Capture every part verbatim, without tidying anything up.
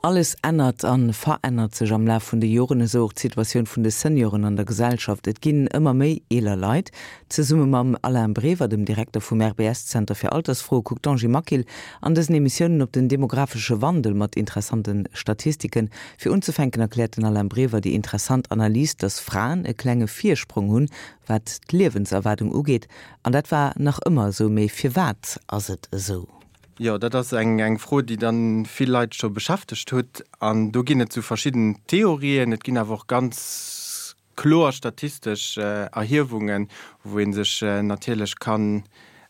Alles ännert an verännert sech am Laf vun de Joren, esou och d'Situatioun vun de Senioren an der Gesellschaft. Et ginn ëmmer méi eeler Leit. Zesumme mam Alain Brever, dem Direkter vum RBS-Zenter fir Altersfroe, kuckt d'Angie Maquil an dësen Emissiounen op den demografesche Wandel mat interessante Statistiken. Fir unzefänken erkläert den Alain Brever déi interessant Analys, dass Fraen e klenge Virsprong hunn, wat d'Liewenserwaardung ugeet. An dat war nach ëmmer esou. Mee firwat ass et esou? Jo, dat ass eng eng Fro, déi dann vill Leit scho beschäftegt huet. An do ginn et sou verschidden Theorien, et ginn awer och ganz kloer statistesch Erhiewungen, wou ee sech natierlech kann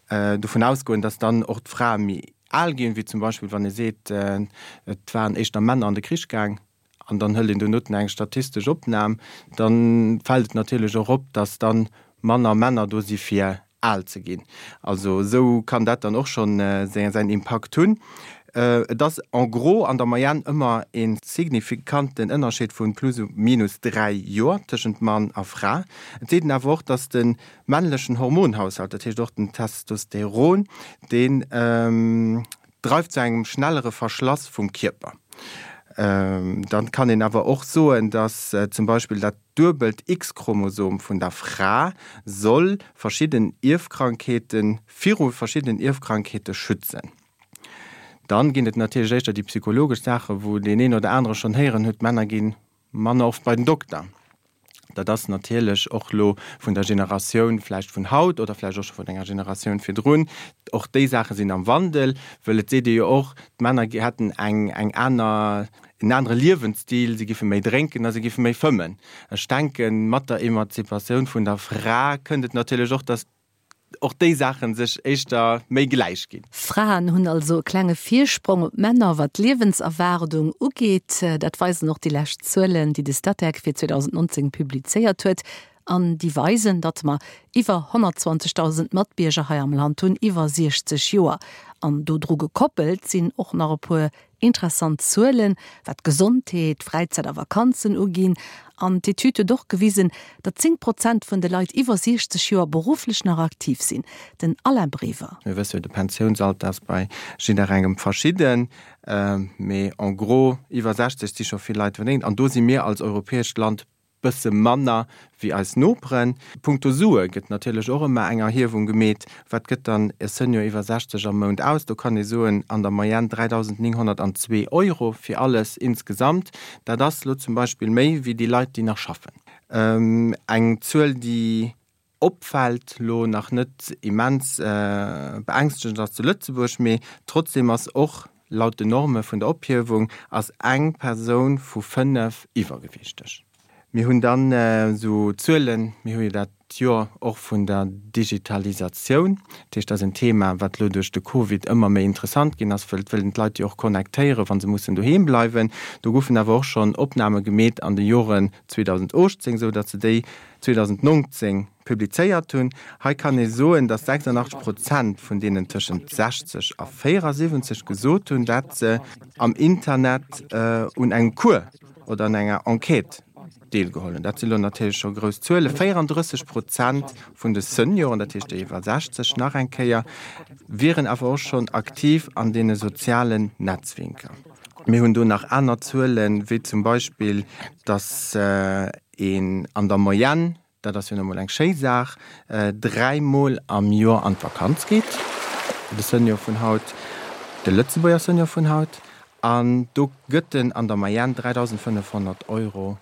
dovun ausgoen, dass dann och d'Frae méi al ginn, wéi zum Beispill wann ee seet, et waren éischter Männer an de Krich gaang. An dann hëlt een donoten eng statistesch Opnam, da fält et natierlech och op, dass dann manner Männer do si fir al ze ginn. Also esou kann dat dann och schonn säin Impakt hunn. Et ass en gros an der Moyenne ëmmer e signifikanten Ënnerscheed vu plus ou minus dräi Joer tëschent Mann a Fra. Et seet een awer och, dass de männlechen Hormonhaushalt, dat heescht och den Testosteron, deen dreift zu engem schnellere Verschlass vum Kierper. Dann kann een awer och soen, dass zum Beispill dat duebelt X-Chromosom vun der Fra soll verschidden Ierfkrankheeten viru verschiddenen Ierfkrankheete schützen. Dann ginn et natierlech éischter déi psychologesch Saachen, wou deen een oder anere schonn héieren huet, d'Männer gi manner oft bei den Dokter. Dat ass natierlech och elo vun der Generatioun vläicht vun haut oder vläicht och scho vun enger Generatioun virdrun. Och déi Saache sinn am Wandel, wëll et seet ee jo och, d'Männer hätten eng eng aner, en anere Liewensstil, si giffe méi drénken a si giffe méi fëmmen. Ech denken, mat der Emanzipatioun vun der Fra kënnt et natierlech och, datt och déi Saache sech éischter méi gläich ginn. Fraen hunn also e klenge Virsprong op d'Männer, wat d'Liewenserwaardung ugeet. Dat weisen och déi lescht Zuelen, déi de Statec fir zweedausendnonzéng publizéiert huet. An déi weisen, datt mer iwwer honnertzwanzegdausend Matbierger hei am Land hunn iwwer siechzeg Joer. An dodru gekoppelt sinn och nach e puer interessant Zuelen, wat Gesondheet, Fräizäit a Vakanzen uginn. An d'Etüd huet och gewisen, datt zéng Prozent vun de Leit iwwer siechzeg Joer berufflech nach aktiv sinn. Den Alain Brever. Mir wësse jo, de Pensiounsalter ass bei jidderengem verschidden, mee en gros iwwer sechzeg si scho vill Leit verdéngt. An do si mir als europäescht Land bësse manner wéi eis Noperen. Punkto Sue gëtt natierlech och ëmmer eng Erhiewung gemeet, Wat gëtt dann e Senior iwwer sechzeg am Mount aus? Do kann ee soen, an der Moyenne dräidausendnénghonnertandzwee Euro fir alles insgesamt. Dat ass elo zum Beispill méi wéi déi Leit, déi nach schaffen. Eng Zuel, déi opfält, lo nach net immens beängstegend ass zu Lëtzebuerg, mee trotzdeem ass och laut den Norme vun der Ophiewung ass eng Persoun vu fënnef iwwergewiichteg. Mir hunn dann esou Zuelen, mir hu jo dat Joer och vun der Digitalisatioun, dat heescht, dat ass en Thema, wat elo duerch de Covid ëmmer méi interessant ginn ass, wëll et wëllen d'Leit jo och connectéieren, wa se mussen doheem bleiwen. Do goufen awer och schonn Opname gemeet an de Joren zweedausendachtzéng, esou datt se déi zweedausendnongzéng publizéiert hunn. Hei kann ee soen, datt sechsundachtzeg Prozent vun deenen tëschent sechzeg a véierasiwwenzeg gesot hunn, dat se am Internet un engem Cours oder an enger Enquête deelgeholl hunn. Dat si lo natierlech scho grouss Zuelen. Véierandrësseg Prozent vun de Senioren, dat heescht déi iwwer sechzeg, nach eng Kéier, wieren awer och schonn aktiv an deene sozialen Netzwierker. Mir hunn do nach aner Zuelen, wéi zum Beispill, datt een an der Moyenne, dat ass jo nu mol eng schéi Saach, dräi Mol am Joer an d'Vakanz geet, de Senior vun haut, de Lëtzebuerger Senior vun haut, an do gëtt en an der Moyenne dräidausendfënnefhonnert Euro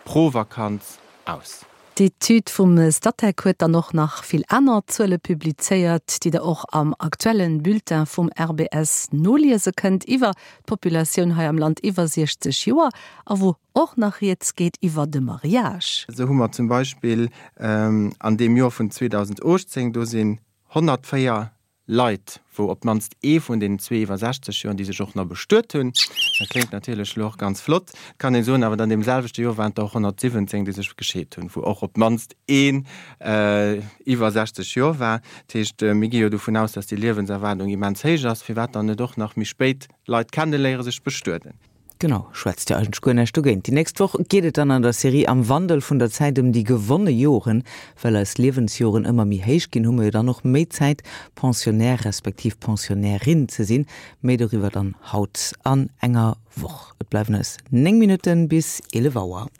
pro Vakanz aus. D'Etüd vum Statec huet dann och nach vill aner Zuele publizéiert, déi der och am aktuellen Bulletin vum R B S noliese kënnt iwwer d'Populatioun hei am Land iwwer siechzeg Joer a wou och nach rieds geet iwwer de Mariage. Esou hu mer zum Beispill an deem Joer vun zweedausendachtzéng, do sinn honnertvéier Leit, wou op d'mannst ee vun deenen zwee iwwer sechzeg Joer, déi sech och nach bestuet hunn. Dat kléngt natierlech elo och ganz flott, kann een soen, awer an deem selwechte Joer waren et der och honnertsiwwenzéng, déi sech gescheet hunn, wou och op d'mannst een iwwer sechzeg Joer war. Dat heescht, mir gi jo dovun aus, dass déi Liewenserwaardung immens héich ass, firwat dann net och nach méi spéit Leit kenneléieren, sech bestueden? Genau, schwätzt jo eigentlech guer näischt dogéint. Déi nächst Woch geet et dann an der Serie Am Wandel vun der Zäit ëm déi gewonne Joren. Well eis Liewensjoren ëmmer méi héich ginn, hu mer jo dann och méi Zäit, Pensionnaire respektiv Pensionnairin ze sinn. Méi doriwwer dann haut an enger Woch. Et bleiwen eis néng Minutten bis eelef Auer.